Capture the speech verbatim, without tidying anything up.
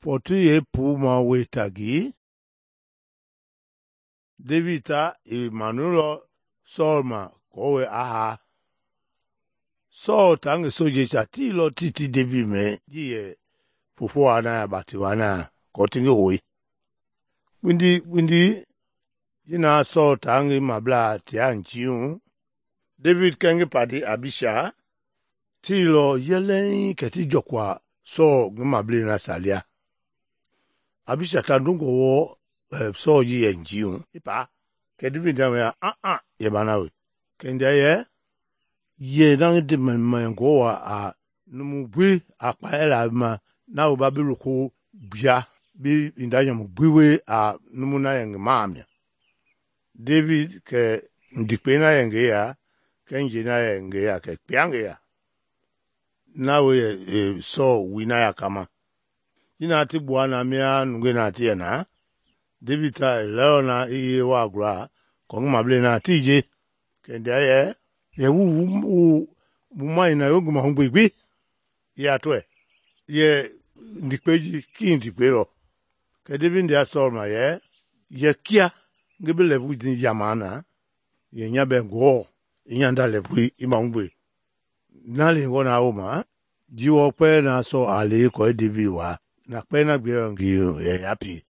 Fɔtu ye puma we tagi, David ta i manulɔ Saul ma kɔwe aha. Saul ta ngi sojeisia tiilɔ titi David mɛ ji yɛ fofo wa na ya bati wa na kɔ ti ngi hoi. Kpindi kpindi ji na Saul ta ngi mablaa tia njiu, David kɛ ngi padi Abisha tiilɔ yɛlɛŋ kɛ ti jɔkua Saul ngi mablei nasia lia. Abisha ta ndongɔ wɔ uh, Saul ji yɛ njiu ipa kɛ David da ya ah ah yɛ bana we. Kɛ ndia yɛ yɛ na ngi de mɛ ngɔ wa a numu gbi a kpaya la ma na wo ba bi loko bia bi inda nyamu gbi we a numu na yɛ ngi maamia. David kɛ ndikpe na yɛ ngi ya kɛ nje na yɛ ngi ya kɛ kpia ngi ya. Na we yɛ e, Saul wi na ya kama. Ina ti bua na mia nunge na ti yɛ na. David ta leo na iye wa gula kɔ ngi mablei na ti je. Kɛ ndia yɛ yɛ wu wu wu mai na yo ngi ma hungbe gbi ya tɔɛ. Yɛ ndikpe ji ki ndikpe lɔ. Kɛ David ndia Saul ma yɛ yɛ kia ngi bi lɛbu di yamana yɛ nya bɛ ngɔ inyanda lɛbu i ma hungbe. Na le ngɔ na wo ma ji wɔ pɛ na Saul a le kɔ David wa na pɛ na gbe ngi yɛ yapi.